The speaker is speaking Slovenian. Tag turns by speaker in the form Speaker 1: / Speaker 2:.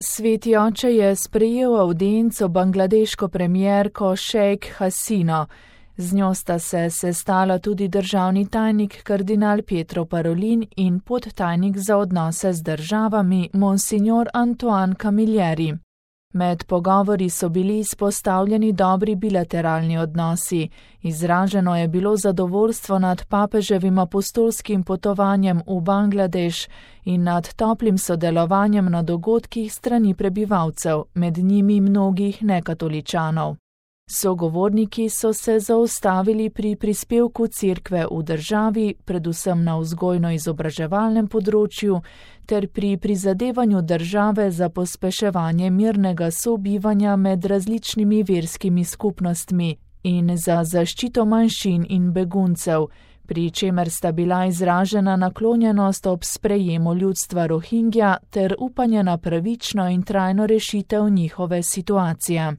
Speaker 1: Sveti oče je sprejel avdienco bangladeško premierko Sheikh Hasino. Z njo sta se sestala tudi državni tajnik kardinal Pietro Parolin in podtajnik za odnose z državami monsignor Antoine Camilleri. Med pogovori so bili izpostavljeni dobri bilateralni odnosi. Izraženo je bilo zadovoljstvo nad papeževim apostolskim potovanjem v Bangladeš in nad toplim sodelovanjem na dogodkih strani prebivalcev, med njimi mnogih nekatoličanov. Sogovorniki so se zaustavili pri prispevku cerkve v državi, predvsem na vzgojno-izobraževalnem področju, ter pri prizadevanju države za pospeševanje mirnega sobivanja med različnimi verskimi skupnostmi in za zaščito manjšin in beguncev, pri čemer sta bila izražena naklonjenost ob sprejemu ljudstva Rohingja ter upanje na pravično in trajno rešitev njihove situacije.